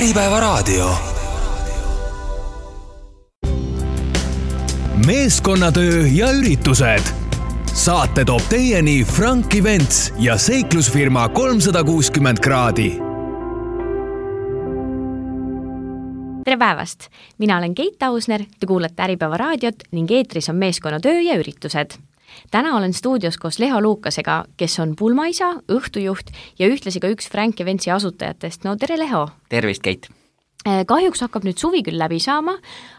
Äripäevaraadio. Meeskonnatöö ja üritused. Saate toob teieni Frank Events ja seiklusfirma 360 kraadi. Tere päevast! Mina olen Keit Ausner, te kuulate Äripäevaraadiot ning eetris on meeskonnatöö ja üritused. Täna olen stuudios koos Leho Luukasega, kes on pulmaisa, õhtujuht ja ühtlasi ka üks Frank Eventsi asutajatest. No tere, Leho! Tervist, Keit! Kahjuks hakkab nüüd suvi küll läbi saama,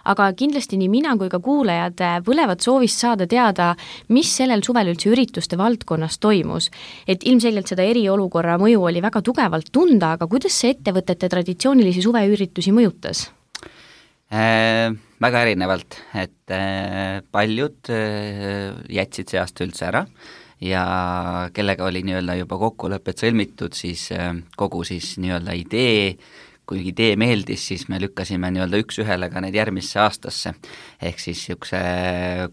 aga kindlasti nii mina kui ka kuulajad põlevad soovist saada teada, mis sellel suvel üldse ürituste valdkonnas toimus. Et ilmselgelt seda eriolukorra mõju oli väga tugevalt tunda, aga kuidas see ettevõtete traditsioonilisi suveüritusi mõjutas? Väga erinevalt, et paljud jätsid see aasta üldse ära ja kellega oli nii-öelda juba kokkulepet sõlmitud, siis kogu siis nii-öelda idee, kui idee meeldis, siis me lükkasime nii-öelda üks ühele ka need järgmisse aastasse. Ehk siis niisuguse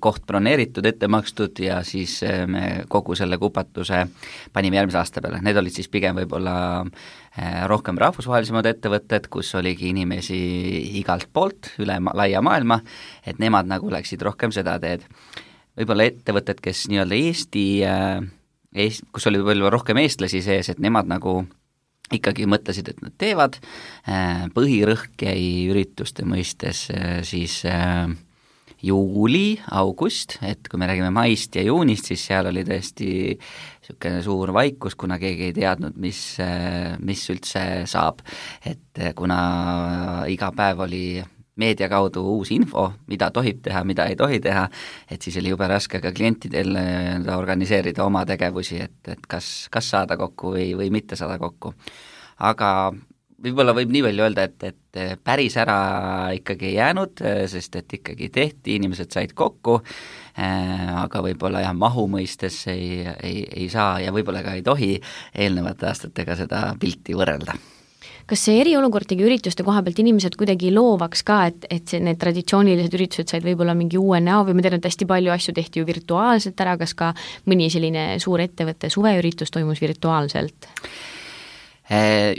koht broneeritud, ette makstud ja siis me kogu selle kupatuse panime järgmise aasta peale. Need olid siis pigem võib-olla rohkem rahvusvahelisemad ettevõtted, kus oligi inimesi igalt poolt üle laia maailma, et nemad nagu läksid rohkem seda teed. Võib-olla ettevõtted, kes nii-öelda kus oli võib-olla rohkem eestlasi sees, et nemad nagu ikkagi mõtlesid, et nad teevad. Põhirõhk jäi ürituste mõistes siis juuli, august, et kui me räägime maist ja juunist, siis seal oli tõesti niisugune suur vaikus, kuna keegi ei teadnud, mis üldse saab. Et kuna iga päev oli meedia kaudu uus info, mida tohib teha, mida ei tohi teha, et siis oli jube raske ka klientidel organiseerida oma tegevusi, et kas saada kokku või mitte saada kokku. Aga võib-olla võib nii palju öelda, et päris ära ikkagi ei jäänud, sest et ikkagi tehti, inimesed said kokku, aga võib-olla mahu mõistes ei saa ja võib-olla ka ei tohi eelnevate aastatega seda pilti võrrelda. Kas see eriolukord tegi ürituste koha pealt inimesed kuidagi loovaks ka, et need traditsioonilised üritused said võib-olla mingi uue näo või ma tean, et hästi palju asju tehti ju virtuaalselt ära, kas ka mõni selline suur ettevõtte suveüritus toimus virtuaalselt?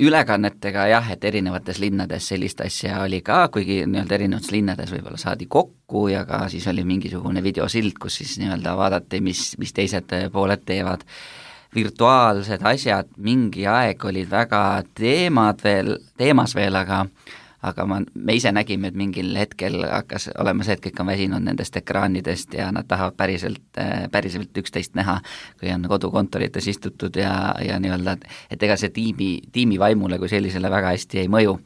Ülekannetega jah, et erinevates linnades sellist asja oli ka, kuigi nii-öelda erinevates linnades võib-olla saadi kokku ja ka siis oli mingisugune videosild, kus siis nii-öelda vaadati, mis teised pooled teevad. Virtuaalsed asjad mingi aeg olid väga teemas veel, aga me ise nägime, et mingil hetkel hakkas olema see, et kõik on väsinud nendest ekraanidest ja nad tahavad päriselt üksteist näha, kui on kodukontorites istutud ja nii-öelda, et ega see tiimi vaimule kui sellisele väga hästi ei mõju.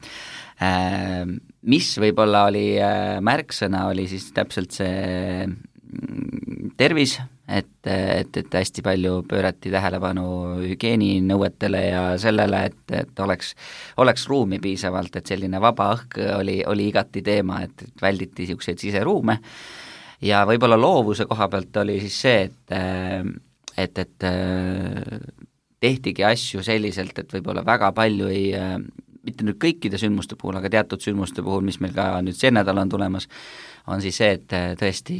Mis võib-olla oli märksõna, oli siis täpselt see tervis, et hästi palju pöörati tähelepanu hügieeninõuetele ja sellele, et oleks ruumi piisavalt, et selline vaba õhk oli igati teema, et välditi niisuguseid siseruume ja võib-olla loovuse koha pealt oli siis see, et tehtigi asju selliselt, et võib-olla väga palju mitte nüüd kõikide sündmuste puhul, aga teatud sündmuste puhul, mis meil ka nüüd see nädal on tulemas, on siis see, et tõesti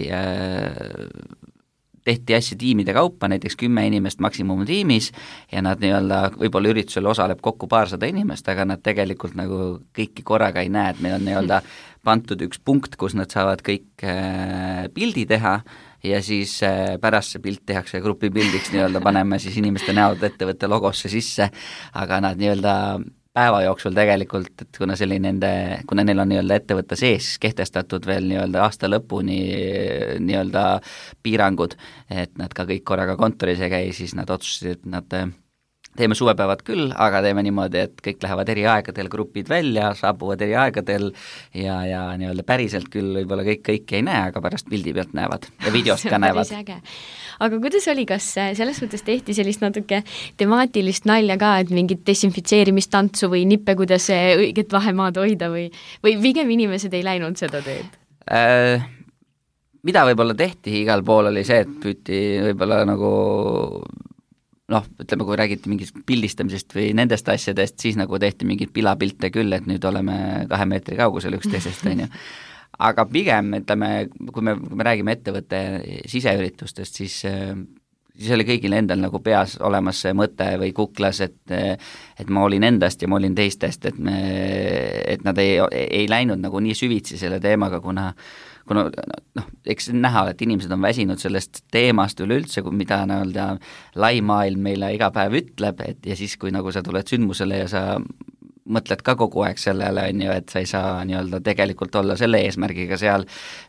tehti asju tiimide kaupa, näiteks 10 inimest maksimumtiimis ja nad nii-öelda võib-olla üritusel osaleb kokku 200 inimest, aga nad tegelikult nagu kõiki korraga ei näe, et meil on nii-öelda pandud üks punkt, kus nad saavad kõik pildi teha ja siis pärast see pilt tehakse grupipildiks, nii-öelda paneme siis inimeste näod ettevõtte logosse sisse, aga nad nii-öelda päeva jooksul tegelikult, et kuna neil on nii-öelda ettevõtte sees kehtestatud veel nii-öelda aasta lõpuni nii-öelda piirangud, et nad ka kõik korraga kontoris ei käi, siis nad otsustasid, et nad teeme suvepäevad küll, aga teeme niimoodi, et kõik lähevad eri aegadel, grupid välja, saabuvad eri aegadel ja nii-öelda päriselt küll võib-olla kõik ei näe, aga pärast pildi pealt näevad ja videost ka näevad. Aga kuidas oli, kas selles mõttes tehti sellist natuke temaatilist nalja ka, et mingit desinfitseerimistantsu või nippe, kuidas õiget vahemaad hoida või pigem inimesed ei läinud seda teed? Mida võib-olla tehti igal pool oli see, et püüti võib-olla nagu ütleme, kui räägiti mingist pildistamisest või nendest asjadest, siis nagu tehti mingid pilapilte küll, et nüüd oleme 2 meetri kaugusel üksteisest, on ju. Aga pigem, ütleme, kui me räägime ettevõtte siseüritustest, siis siis oli kõigil endal nagu peas olemas see mõte või kuklas, et ma olin endast ja ma olin teistest, et nad ei läinud nagu nii süvitsi selle teemaga, kuna eks näha, et inimesed on väsinud sellest teemast üleüldse, mida nii-öelda lai maailm meile iga päev ütleb, ja siis, kui nagu sa tuled sündmusele ja sa mõtled ka kogu aeg sellele, on ju, et sa ei saa nii-öelda tegelikult olla selle eesmärgiga seal,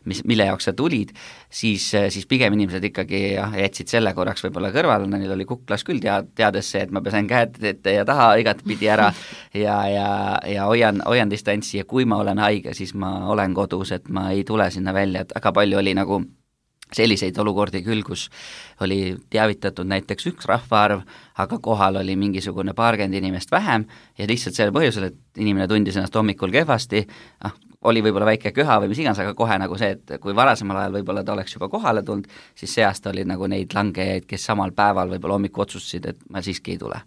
mille jaoks sa tulid, siis pigem inimesed ikkagi jätsid selle korraks võib-olla kõrvale, neil oli kuklas küll teades see, et ma pesen käed ette ja taha igatpidi ära ja hoian distantsi ja kui ma olen haige, siis ma olen kodus, et ma ei tule sinna välja, et väga palju oli nagu selliseid olukordi küll, kus oli teavitatud näiteks üks rahvaarv, aga kohal oli mingisugune paarkümmend inimest vähem ja lihtsalt selle põhjusel, et inimene tundis ennast hommikul kehvasti, oli võib-olla väike köha või mis iganes, aga kohe nagu see, et kui varasemal ajal võib-olla ta oleks juba kohale tulnud, siis see aasta oli nagu neid langejaid, kes samal päeval võib-olla hommikul otsustasid, et ma siiski ei tule.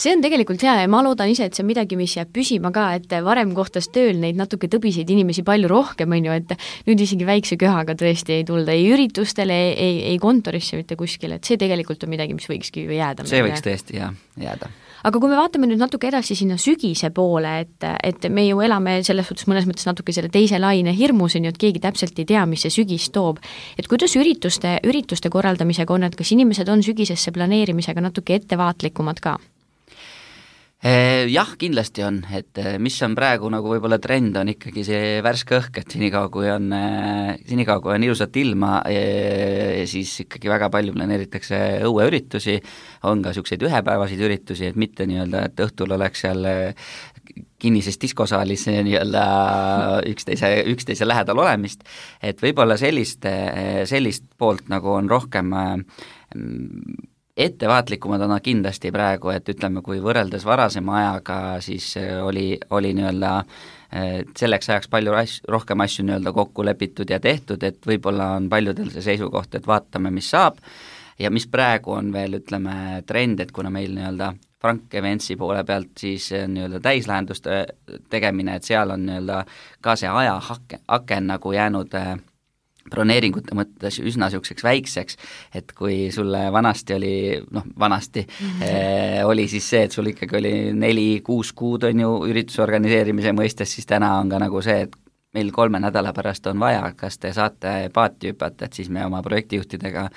See on tegelikult hea ja ma loodan ise, et see on midagi, mis jääb püsima ka, et varem kohtas tööl neid natuke tõbiseid inimesi palju rohkem, on ju, et nüüd isegi väikse köhaga tõesti ei tulda ei üritustele, ei kontorisse mitte kuskile, et see tegelikult on midagi, mis võikski ju jääda. See võiks tõesti jääda. Aga kui me vaatame nüüd natuke edasi sinna sügise poole, et me ju elame selles suhtes mõnes mõttes natuke selle teise laine hirmus, on ju, et keegi täpselt ei tea, mis see sügis toob. Et kuidas ürituste korraldamisega on, et kas inimesed on sügisesse planeerimisega natuke ettevaatlikumad ka? Jah, kindlasti on, et mis on praegu nagu võib-olla trend, on ikkagi see värske õhk, et senikaua kui on ilusat ilma, siis ikkagi väga palju planeeritakse õueüritusi, on ka niisuguseid ühepäevasid üritusi, et mitte nii-öelda, et õhtul oleks seal kinnises diskosaalis nii-öelda üksteise lähedal olemist, et võib-olla sellist poolt nagu on rohkem ettevaatlikumad on nad kindlasti praegu, et ütleme, kui võrreldes varasema ajaga, siis oli nii-öelda selleks ajaks palju rohkem asju nii-öelda kokku lepitud ja tehtud, et võib-olla on paljudel see seisukoht, et vaatame, mis saab ja mis praegu on veel, ütleme, trend, et kuna meil nii-öelda Frank Eventsi poole pealt siis nii-öelda täislahenduste tegemine, et seal on nii-öelda ka see ajahaken nagu jäänud broneeringute mõttes üsna niisuguseks väikseks, et kui sulle vanasti oli siis see, et sul ikkagi oli 4-6 kuud on ju ürituse organiseerimise mõistes, siis täna on ka nagu see, et meil 3 nädala pärast on vaja, kas te saate paati hüpata, et siis me oma projektijuhtidega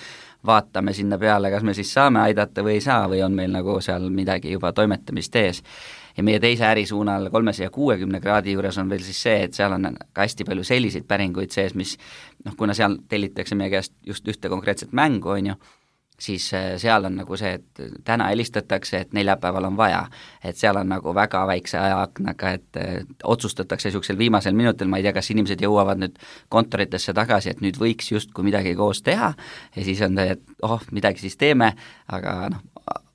vaatame sinna peale, kas me siis saame aidata või ei saa või on meil nagu seal midagi juba toimetamist ees. Ja meie teise ärisuunal 360 kraadi juures on veel siis see, et seal on ka hästi palju selliseid päringuid sees, mis kuna seal tellitakse meie käest just ühte konkreetset mängu, on ju, siis seal on nagu see, et täna helistatakse, et neljapäeval on vaja, et seal on nagu väga väikse ajaaknaga, et otsustatakse niisugusel viimasel minutil, ma ei tea, kas inimesed jõuavad nüüd kontoritesse tagasi, et nüüd võiks justkui midagi koos teha ja siis on see, et midagi siis teeme, aga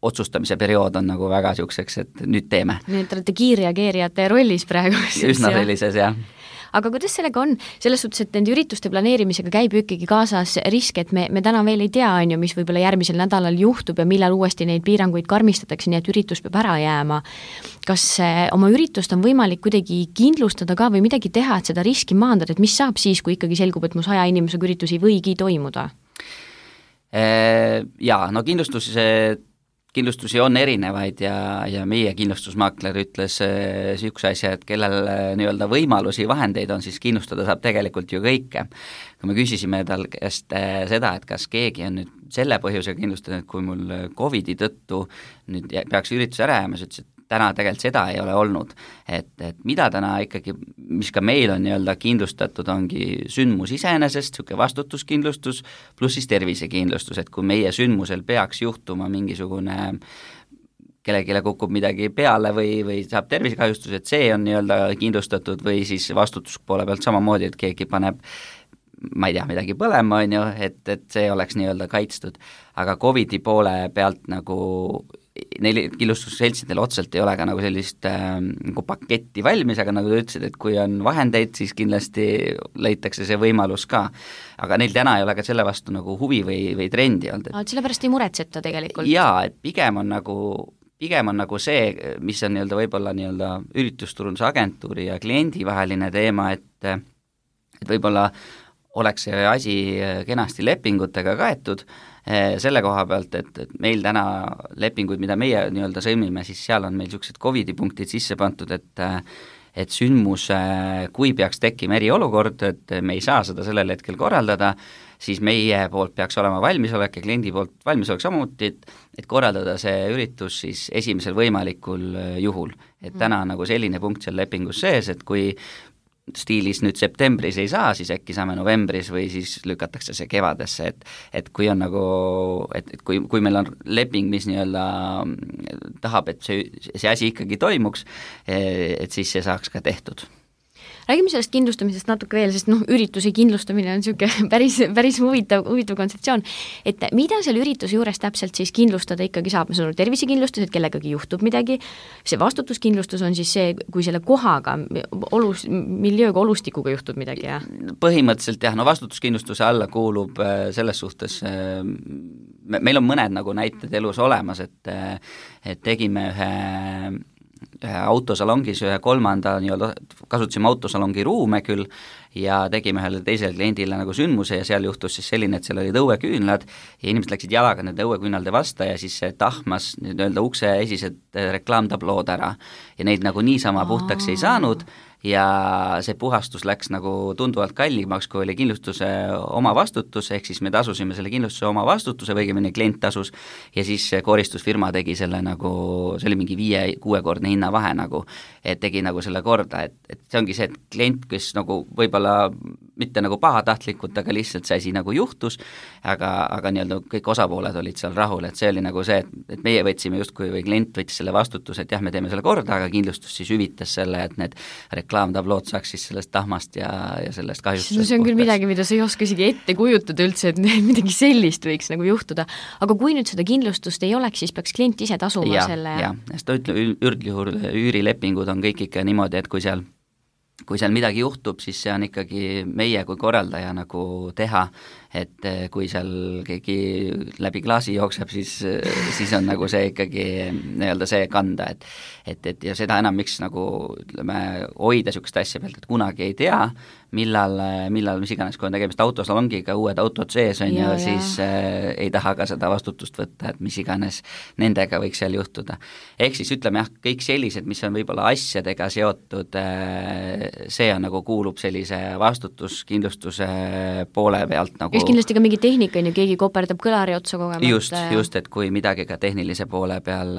otsustamise periood on nagu väga niisuguseks, et nüüd teeme. Nii, et olete kiirreageerijate rollis praegu. Üsna sellises, jah. Aga kuidas sellega on? Selles suhtes, et nende ürituste planeerimisega käib ju ikkagi kaasas risk, et me täna veel ei tea, on ju, mis võib-olla järgmisel nädalal juhtub ja millal uuesti neid piiranguid karmistatakse, nii et üritus peab ära jääma. Kas oma üritust on võimalik kuidagi kindlustada ka või midagi teha, et seda riski maandada, et mis saab siis, kui ikkagi selgub, et mu 100 inimesega üritus ei võigi toimuda? Jaa, no kindlustusi on erinevaid ja meie kindlustusmaakler ütles niisuguse asja, et kellel nii-öelda võimalusi, vahendeid on, siis kindlustada saab tegelikult ju kõike. Kui me küsisime tal käest seda, et kas keegi on nüüd selle põhjusega kindlustada, et kui mul COVID-i tõttu nüüd peaks üritus ära jääma, siis ütles, et täna tegelikult seda ei ole olnud, et mida täna ikkagi, mis ka meil on nii-öelda kindlustatud, ongi sündmus iseenesest, niisugune vastutuskindlustus, pluss siis tervisekindlustus, et kui meie sündmusel peaks juhtuma mingisugune kellelegi kukub midagi peale või saab tervisekahjustus, et see on nii-öelda kindlustatud või siis vastutuspoole pealt samamoodi, et keegi paneb ma ei tea, midagi põlema, on ju, et see oleks nii-öelda kaitstud, aga COVID-i poole pealt nagu neil kindlustusseltsidel otseselt ei ole ka nagu sellist nagu paketti valmis, aga nagu te ütlesid, et kui on vahendeid, siis kindlasti leitakse see võimalus ka. Aga neil täna ei ole ka selle vastu nagu huvi või trendi olnud. Sellepärast ei muretseta tegelikult? Jaa, et pigem on nagu see, mis on nii-öelda võib-olla nii-öelda üritusturundusagentuuri ja kliendi vaheline teema, et võib-olla oleks see asi kenasti lepingutega kaetud, selle koha pealt, et meil täna lepinguid, mida meie nii-öelda sõlmime, siis seal on meil niisugused COVID-i punktid sisse pandud, et sündmus, kui peaks tekkima eriolukord, et me ei saa seda sellel hetkel korraldada, siis meie poolt peaks olema valmisolek ja kliendi poolt valmisolek samuti, et korraldada see üritus siis esimesel võimalikul juhul. Et täna on nagu selline punkt seal lepingus sees, et kui stiilis nüüd septembris ei saa, siis äkki saame novembris või siis lükatakse see kevadesse, et kui on nagu, et kui meil on leping, mis nii-öelda tahab, et see asi ikkagi toimuks, et siis see saaks ka tehtud. Räägime sellest kindlustamisest natuke veel, sest ürituse kindlustamine on niisugune päris huvitav kontseptsioon, et mida seal ürituse juures täpselt siis kindlustada ikkagi saab, see on tervisekindlustus, et kellegagi juhtub midagi, see vastutuskindlustus on siis see, kui selle kohaga, miljööga, olustikuga juhtub midagi, jah? Põhimõtteliselt jah, vastutuskindlustuse alla kuulub selles suhtes, meil on mõned nagu näited elus olemas, et tegime ühe autosalongis, ühe kolmanda nii-öelda, kasutasime autosalongi ruume küll ja tegime ühele teisele kliendile nagu sündmuse ja seal juhtus siis selline, et seal olid õueküünlad ja inimesed läksid jalaga nende õueküünalde vasta ja siis see tahmas nii-öelda ukse esised reklaamtablood ära ja neid nagu niisama puhtaks ei saanud ja see puhastus läks nagu tunduvalt kallimaks, kui oli kindlustuse oma vastutus, ehk siis me tasusime selle kindlustuse oma vastutuse või õigemini klient tasus ja siis koristusfirma tegi selle nagu, see oli mingi 5-6-kordne hinnavahe nagu, et tegi nagu selle korda, et see ongi see, et klient, kes nagu võib-olla mitte nagu pahatahtlikult, aga lihtsalt see asi nagu juhtus, aga nii-öelda kõik osapooled olid seal rahul, et see oli nagu see, et meie võtsime justkui või klient võttis selle vastutuse, et jah, me teeme selle korda, aga kindlustus siis hüvitas selle, et need reklaamtablood saaks siis sellest tahmast ja sellest kahjustusest. See on küll midagi, mida sa ei oska isegi ette kujutada üldse, et midagi sellist võiks nagu juhtuda. Aga kui nüüd seda kindlustust ei oleks, siis peaks klient ise tasuma selle? Jah, sest üldjuhul üürilepingud on kõik ikka niimoodi, et kui seal midagi juhtub, siis see on ikkagi meie kui korraldaja nagu teha, et kui seal keegi läbi klaasi jookseb, siis on nagu see ikkagi nii-öelda see kanda, et ja seda enam, miks nagu ütleme, hoida niisugust asja pealt, et kunagi ei tea, millal mis iganes, kui on tegemist autosalongiga, uued autod sees on ja siis ei taha ka seda vastutust võtta, et mis iganes nendega võiks seal juhtuda. Ehk siis ütleme jah, kõik sellised, mis on võib-olla asjadega seotud, see on nagu kuulub sellise vastutuskindlustuse poole pealt nagu just kindlasti ka mingi tehnika on ju, keegi koperdab kõlari otsa kogemata. Just, et kui midagi ka tehnilise poole peal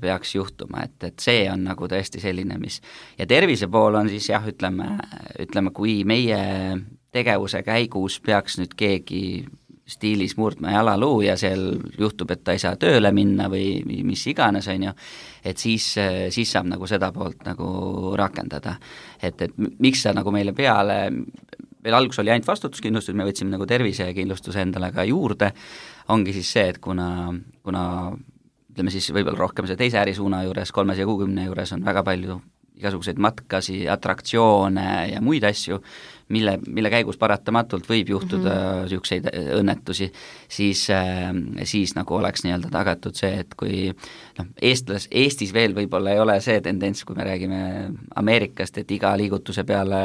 peaks juhtuma, et see on nagu tõesti selline, mis ja tervise pool on siis jah, ütleme, kui meie tegevuse käigus peaks nüüd keegi stiilis murdma jalaluu ja seal juhtub, et ta ei saa tööle minna või mis iganes, on ju, et siis saab nagu seda poolt nagu rakendada. Et miks sa nagu meile peale, meil alguses oli ainult vastutuskindlustus, me võtsime nagu tervisekindlustuse endale ka juurde, ongi siis see, et kuna ütleme siis võib-olla rohkem see teise ärisuuna juures, 360 juures on väga palju igasuguseid matkasi, atraktsioone ja muid asju, mille käigus paratamatult võib juhtuda niisuguseid õnnetusi, siis nagu oleks nii-öelda tagatud see, et kui Eestis veel võib-olla ei ole see tendents, kui me räägime Ameerikast, et iga liigutuse peale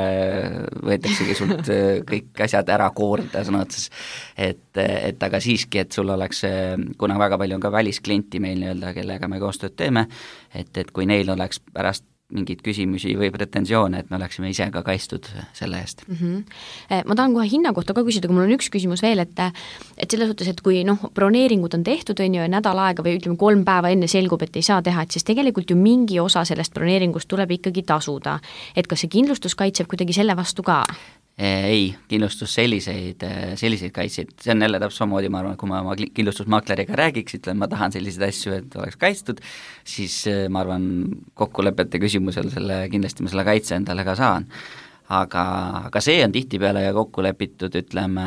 võetaksegi sult kõik asjad ära koorida sõna otses, et aga siiski, et sul oleks, kuna väga palju on ka välisklienti meil nii-öelda, kellega me koostööd teeme, et kui neil oleks pärast mingeid küsimusi või pretensioone, et me oleksime ise ka kaitstud selle eest. Ma tahan kohe hinna kohta ka küsida, kui mul on üks küsimus veel, et selles suhtes, et kui broneeringud on tehtud, on ju, ja nädal aega või ütleme 3 päeva enne selgub, et ei saa teha, et siis tegelikult ju mingi osa sellest broneeringust tuleb ikkagi tasuda. Et kas see kindlustus kaitseb kuidagi selle vastu ka? Ei, kindlustus selliseid kaitseid, see on jälle täpselt samamoodi, ma arvan, kui ma oma kindlustusmakleriga räägiks, ütlen, ma tahan selliseid asju, et oleks kaitstud, siis ma arvan, kokkulepete küsimusel kindlasti ma selle kaitse endale ka saan. Aga see on tihtipeale ja kokku lepitud, ütleme,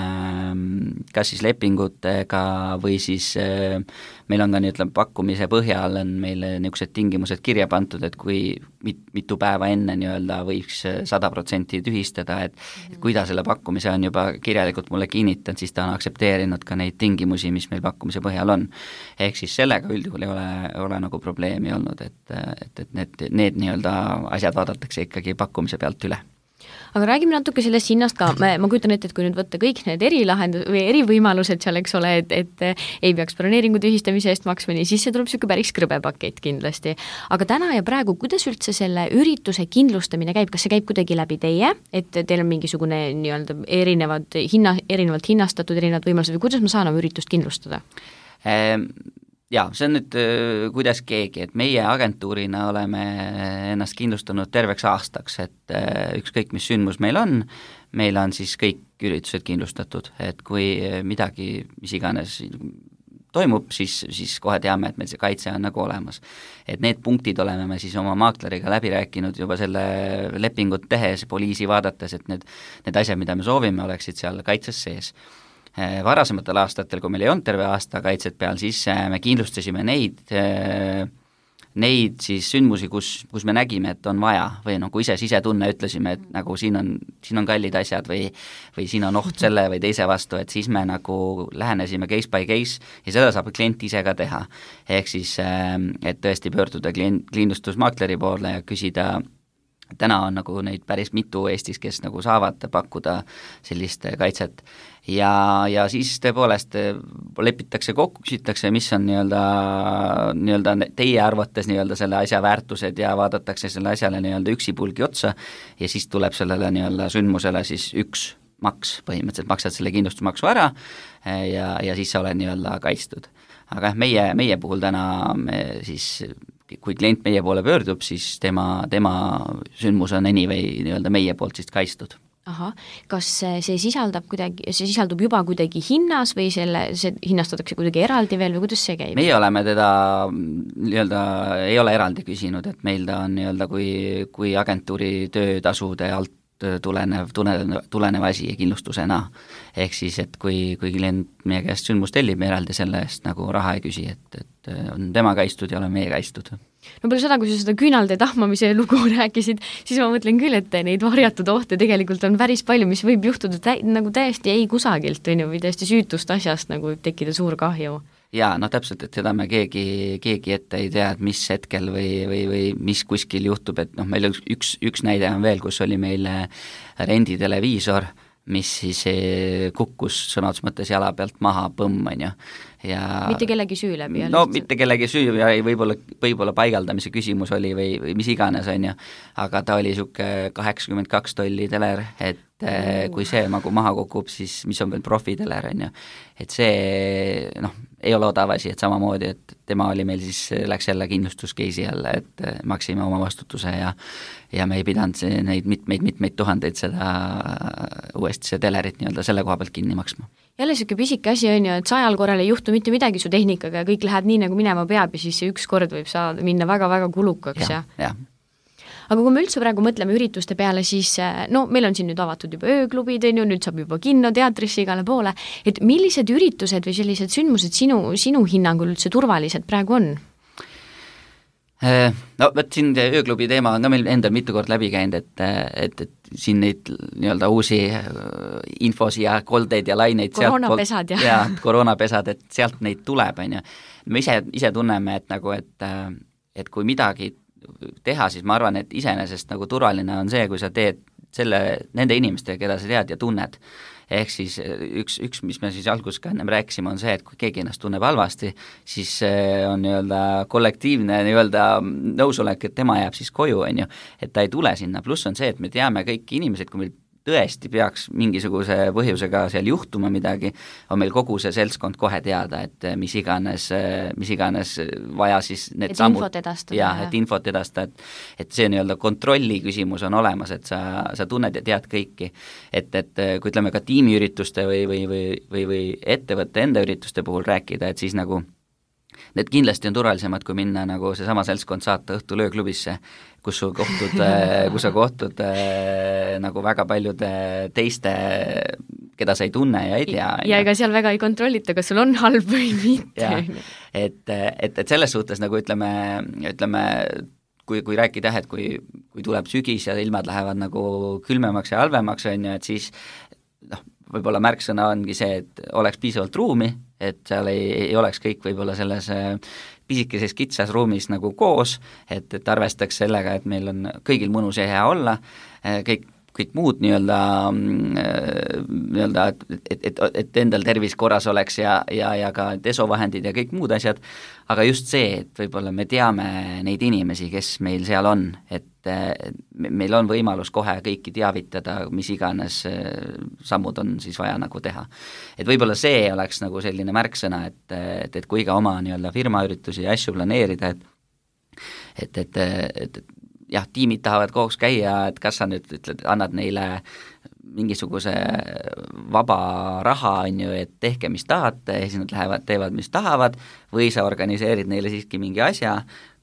kas siis lepingutega või siis meil on ka nii, ütleme, pakkumise põhjal on meil niisugused tingimused kirja pandud, et kui mitu päeva enne nii-öelda võiks 100% tühistada, et kui ta selle pakkumise on juba kirjalikult mulle kinnitanud, siis ta on aktsepteerinud ka neid tingimusi, mis meil pakkumise põhjal on. Ehk siis sellega üldjuhul ei ole nagu probleemi olnud, et need nii-öelda asjad vaadatakse ikkagi pakkumise pealt üle. Aga räägime natuke sellest hinnast ka, ma kujutan ette, et kui nüüd võtta kõik need või erivõimalused seal, eks ole, et ei peaks broneeringu tühistamise eest maksma, nii siis see tuleb niisugune päris krõbe pakett kindlasti. Aga täna ja praegu, kuidas üldse selle ürituse kindlustamine käib, kas see käib kuidagi läbi teie, et teil on mingisugune nii-öelda erinevalt hinnastatud erinevad võimalused või kuidas ma saan oma üritust kindlustada? Jaa, see on nüüd kuidas keegi, et meie agentuurina oleme ennast kindlustanud terveks aastaks, et ükskõik mis sündmus meil on siis kõik üritused kindlustatud, et kui midagi, mis iganes toimub, siis kohe teame, et meil see kaitse on nagu olemas. Et need punktid oleme me siis oma maakleriga läbi rääkinud juba selle lepingut tehes, poliisi vaadates, et need asjad, mida me soovime, oleksid seal kaitses sees. Varasematel aastatel, kui meil ei olnud terve aasta kaitset peal, siis me kindlustasime neid siis sündmusi, kus me nägime, et on vaja või kui sisetunne ütlesime, et nagu siin on kallid asjad või siin on oht selle või teise vastu, et siis me nagu lähenesime case by case ja seda saab klient ise ka teha. Ehk siis, et tõesti pöörduda kindlustusmaakleri poole ja küsida. Täna on nagu neid päris mitu Eestis, kes nagu saavad pakkuda sellist kaitset ja siis tõepoolest lepitakse kokku, küsitakse, mis on nii-öelda teie arvates nii-öelda selle asja väärtused ja vaadatakse selle asjale nii-öelda üksipulgi otsa ja siis tuleb sellele nii-öelda sündmusele siis üks maks, põhimõtteliselt maksad selle kindlustusmaksu ära ja siis sa oled nii-öelda kaitstud. Aga meie puhul täna me siis kui klient meie poole pöördub, siis tema sündmus on anyway nii-öelda meie poolt siis kaitstud. Ahah, kas see sisaldub juba kuidagi hinnas või see hinnastatakse kuidagi eraldi veel või kuidas see käib? Meie oleme teda nii-öelda ei ole eraldi küsinud, et meil ta on nii-öelda kui agentuuri töötasude alt tulenev asi kindlustusena. Ehk siis, et kui klient meie käest sündmus tellib, me eraldi selle eest nagu raha ei küsi, et on tema kaitstud ja oleme meie kaitstud. No peale seda, kui sa seda küünalde tahmamise lugu rääkisid, siis ma mõtlen küll, et neid varjatud ohte tegelikult on päris palju, mis võib juhtuda nagu täiesti ei kusagilt, või täiesti süütust asjast nagu tekkida suur kahju. Jaa, täpselt, et seda me keegi ette ei tea, et mis hetkel või mis kuskil juhtub, et meil üks näide on veel, kus oli meil renditeleviisor, mis siis kukkus sõnatus mõttes jala pealt maha põmm, on ju. Ja mitte kellegi süü läbi? Mitte kellegi süü ja võib-olla paigaldamise küsimus oli või mis iganes, on ju, aga ta oli niisugune 82 tolli teler, et kui see nagu maha kukub, siis mis on veel profiteler, on ju, et see ei ole odav asi, et samamoodi, et tema oli meil siis, läks jälle kindlustuskeisi jälle, et maksime oma vastutuse ja me ei pidanud neid mitmeid tuhandeid seda uuesti see telerit nii-öelda selle koha pealt kinni maksma. Jälle siuke pisike asi on ju, et 100 korral ei juhtu mitte midagi su tehnikaga ja kõik läheb nii, nagu minema peab ja siis see üks kord võib minna väga-väga kulukaks. Ja. Aga kui me üldse praegu mõtleme ürituste peale, siis meil on siin nüüd avatud juba ööklubid, nüüd saab juba kinno, teatrisse igale poole, et millised üritused või sellised sündmused sinu hinnangul üldse turvalised praegu on? Võt siin ööklubi teema on ka meil endal mitu kord läbi käinud, et siin neid nii-öelda uusi infosi ja koldeid ja laineid koroonapesad koroonapesad, et sealt neid tuleb, on ju. Me ise tunneme, et kui midagi teha, siis ma arvan, et iseenesest nagu turvaline on see, kui sa teed nende inimestega, keda sa tead ja tunned. Ehk siis üks, mis me siis alguses ka ennem rääkisime, on see, et kui keegi ennast tunneb halvasti, siis on nii-öelda kollektiivne nii-öelda nõusolek, et tema jääb siis koju, on ju, et ta ei tule sinna. Pluss on see, et me teame kõik inimesed, kui meil tõesti peaks mingisuguse põhjusega seal juhtuma midagi, on meil kogu see seltskond kohe teada, et mis iganes vaja siis need sammud. Et infot edastada, et see nii-öelda kontrolli küsimus on olemas, et sa tunned ja tead kõiki. Et kui ütleme ka tiimiürituste või ettevõtte enda ürituste puhul rääkida, et siis nagu need kindlasti on turvalisemad, kui minna nagu see sama seltskond saata õhtul ööklubisse, kus sa kohtud nagu väga paljude teiste, keda sa ei tunne ja ei tea. Ja ega seal väga ei kontrollita, kas sul on halb või mitte. Et selles suhtes nagu ütleme kui rääkida, et kui tuleb sügis ja ilmad lähevad nagu külmemaks ja halvemaks, on ju, et siis võib-olla märksõna ongi see, et oleks piisavalt ruumi, et seal ei oleks kõik võib-olla selles pisikeses kitsas ruumis nagu koos, et arvestaks sellega, et meil on kõigil mõnus ja hea olla, kõik kõik muud nii-öelda, et endal tervis korras oleks ja ka desovahendid ja kõik muud asjad, aga just see, et võib-olla me teame neid inimesi, kes meil seal on, et meil on võimalus kohe kõiki teavitada, mis iganes sammud on siis vaja nagu teha. Et võib-olla see oleks nagu selline märksõna, et kui ka oma nii-öelda firmaüritusi ja asju planeerida, et jah, tiimid tahavad koos käia, et kas sa nüüd ütled, annad neile mingisuguse vaba raha, on ju, et tehke, mis tahate, ja siis nad lähevad, teevad, mis tahavad, või sa organiseerid neile siiski mingi asja,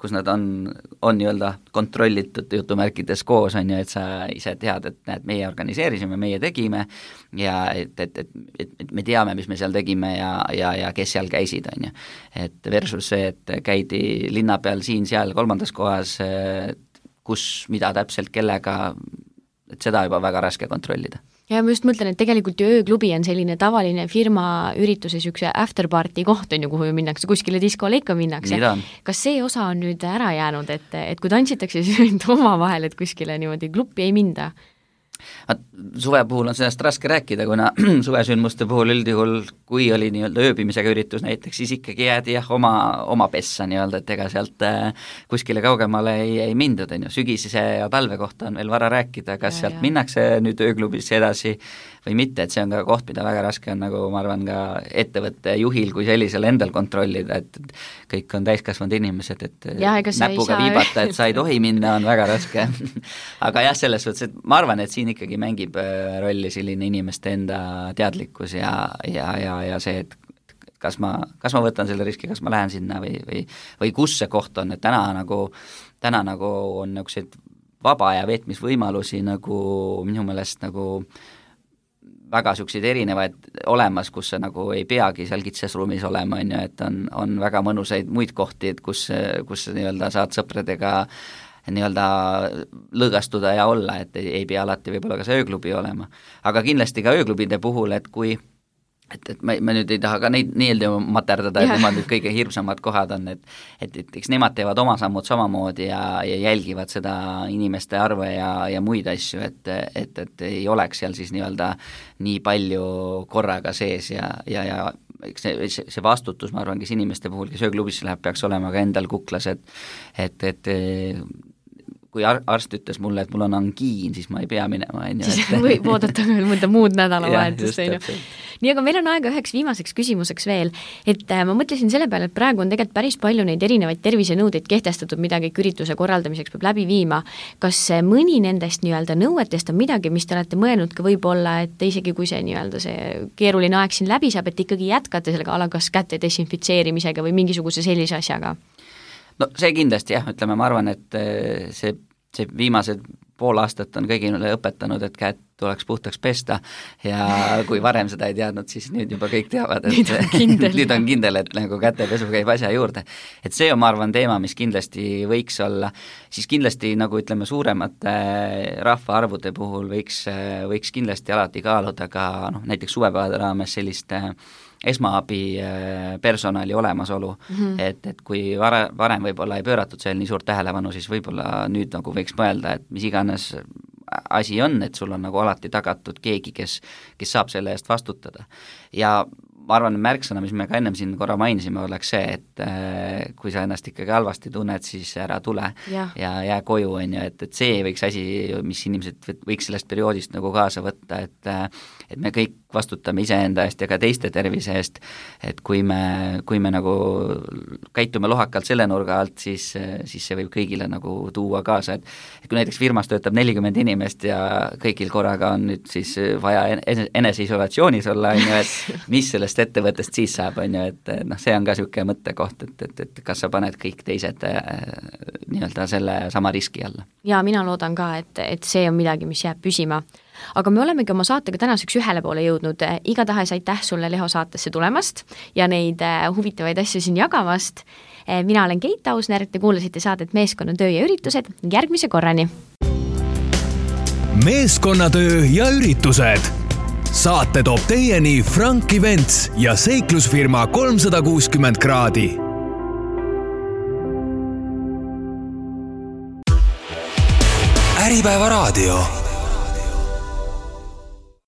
kus nad on nii-öelda kontrollitud jutumärkides koos, on ju, et sa ise tead, et näed, meie organiseerisime, meie tegime ja et me teame, mis me seal tegime ja kes seal käisid, on ju. Et versus see, et käidi linna peal siin-seal kolmandas kohas, kus, mida täpselt, kellega, et seda juba väga raske kontrollida. Ja ma just mõtlen, et tegelikult ju ööklubi on selline tavaline firma ürituse sükse afterparty koht on ju, kuhu minnakse, kuskile diskole ikka minnakse. Kas see osa on nüüd ära jäänud, et kui tantsitakse, siis oma vahel, et kuskile niimoodi klubi ei minda? Suve puhul on sellest raske rääkida, kuna suvesündmuste puhul üldjuhul, kui oli nii-öelda ööbimisega üritus näiteks, siis ikkagi jäädi oma pessa nii-öelda, et ega sealt kuskile kaugemale ei mindud, on ju. Sügise ja talve kohta on veel vara rääkida, kas sealt minnakse nüüd ööklubisse edasi või mitte, et see on ka koht, mida väga raske on, nagu ma arvan, ka ettevõtte juhil kui sellisel endal kontrollida, et kõik on täiskasvanud inimesed, et näpuga viibata, et sa ei tohi minna, on väga raske. Aga jah, selles suhtes, et ma arvan, et siin ikkagi mängib rolli selline inimeste enda teadlikkus ja see, et kas ma võtan selle riski, kas ma lähen sinna või kus see koht on, et täna nagu on niisuguseid vaba ja veetmisvõimalusi nagu minu meelest nagu väga niisuguseid erinevaid olemas, kus sa nagu ei peagi seal kitsas ruumis olema, on ju, et on väga mõnusaid muid kohti, et kus nii-öelda saad sõpradega nii-öelda lõõgastuda ja olla, et ei pea alati võib-olla ka see ööklubi olema. Aga kindlasti ka ööklubide puhul, et kui et ma nüüd ei taha ka neid nii-öelda materdada, et nemad nüüd kõige hirmsamad kohad on, et eks nemad teevad oma sammud samamoodi ja jälgivad seda inimeste arve ja muid asju, et ei oleks seal siis nii-öelda nii palju korraga sees ja eks see vastutus, ma arvan, kes inimeste puhul, kes ööklubisse läheb, peaks olema ka endal kuklas, et kui arst ütles mulle, et mul on angiin, siis ma ei pea minema. Siis võib oodata veel mõnda muud nädalavahetust. Nii, aga meil on aega üheks viimaseks küsimuseks veel, et ma mõtlesin selle peale, et praegu on tegelikult päris palju neid erinevaid tervisenõudeid kehtestatud, mida kõik ürituse korraldamiseks peab läbi viima. Kas mõni nendest nii-öelda nõuetest on midagi, mis te olete mõelnud ka võib-olla, et isegi kui see nii-öelda see keeruline aeg siin läbi saab, et ikkagi jätkate sellega alakas käte desinfitseerimisega või mingisuguse sellise asjaga? No see kindlasti jah, ütleme, ma arvan, et see viimased pool aastat on kõigile õpetanud, et käed tuleks puhtaks pesta ja kui varem seda ei teadnud, siis nüüd juba kõik teavad, et nüüd on kindel, et nagu kätepesu käib asja juurde. Et see on, ma arvan, teema, mis kindlasti võiks olla, siis kindlasti nagu ütleme suuremate rahvaarvude puhul võiks kindlasti alati kaaluda ka näiteks suvepäevade raames selliste esmaabi personali olemasolu, et kui varem võib-olla ei pööratud seal nii suurt tähelepanu, siis võib-olla nüüd nagu võiks mõelda, et mis iganes asi on, et sul on nagu alati tagatud keegi, kes saab selle eest vastutada. Ja ma arvan, märksõna, mis me ka ennem siin korra mainisime, oleks see, et kui sa ennast ikkagi halvasti tunned, siis ära tule ja jää koju, on ju, et see võiks asi, mis inimesed võiks sellest perioodist nagu kaasa võtta, et me kõik vastutame iseenda eest ja ka teiste tervise eest, et kui me nagu käitume lohakalt selle nurga alt, siis see võib kõigile nagu tuua kaasa, et kui näiteks firmas töötab 40 inimest ja kõigil korraga on nüüd siis vaja eneseisolatsioonis olla, on ju, et mis sellest ettevõttest siis saab, on ju, et see on ka niisugune mõttekoht, et kas sa paned kõik teised nii-öelda selle sama riski alla. Ja mina loodan ka, et see on midagi, mis jääb püsima. Aga me olemegi oma saatega tänaseks ühele poole jõudnud. Igatahes aitäh sulle Leho saatesse tulemast ja neid huvitavaid asju siin jagamast. Mina olen Keit Ausner, te kuulasite saadet Meeskonnatöö ja üritused. Järgmise korrani! Meeskonnatöö ja üritused. Saate toob teieni Frank Events ja seiklusfirma 360 kraadi. Äripäeva raadio.